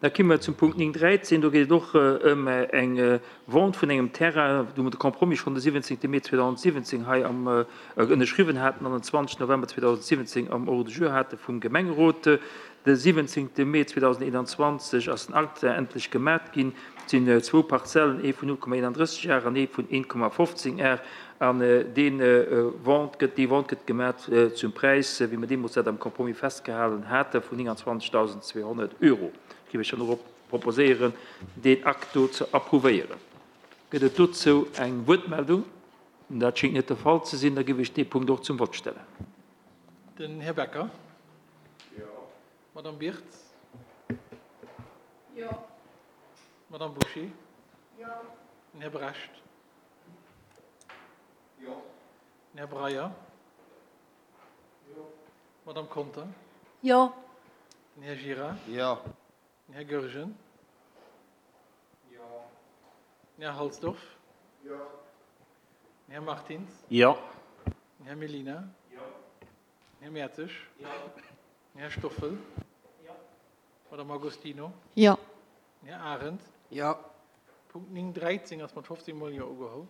Da komme mer zum Punkt 9, 13. Do geet et och ëm eng Vente vun engem Terrain, wou mer de Compromis schonn de 17. Mee 2017 hei am ënnerschriwwen haten an den 20. November 2017 am Ordre du jour hate vum Gemengerot. De 17. Mee 2021 ass den Akt endlech gemat ginn. Et sinn zwou Parzellen, ee vun 0,31 Ar an ee vun 1,15 Ar. An dee Vente gëtt, déi Vente gëtt gemat zum Präis, wéi mer deemools dat am Compromis festgehalen hate vun 29.200 Euro. Ech géif Iech dann och proposéieren, deen Akt do ze approuvéieren. Gëtt et dozou eng Wuertmeldung? Dat schéngt net de Fall ze sinn. Da géif ech dee Punkt och zum Vott stellen. Den Här Becker. Jo. D'Madame Birtz. Jo. D'Madame Bouché. Jo. Den Här Brecht. Jo. Den Här Breyer. Jo. D'Madame Conter. Jo. Den Här Gira. Jo. Den Här Goergen. Jo. Den Här Halsdorf. Jo. Den Här Martins. Jo. Den Här Mellina. Jo. Den Här Mertzig. Jo. Den Här Stoffel. Jo. D'Madame Agostino. Jo. Den Här Arendt. Jo. Punkt 9, 13 ass mat 15 mol Jo ugeholl.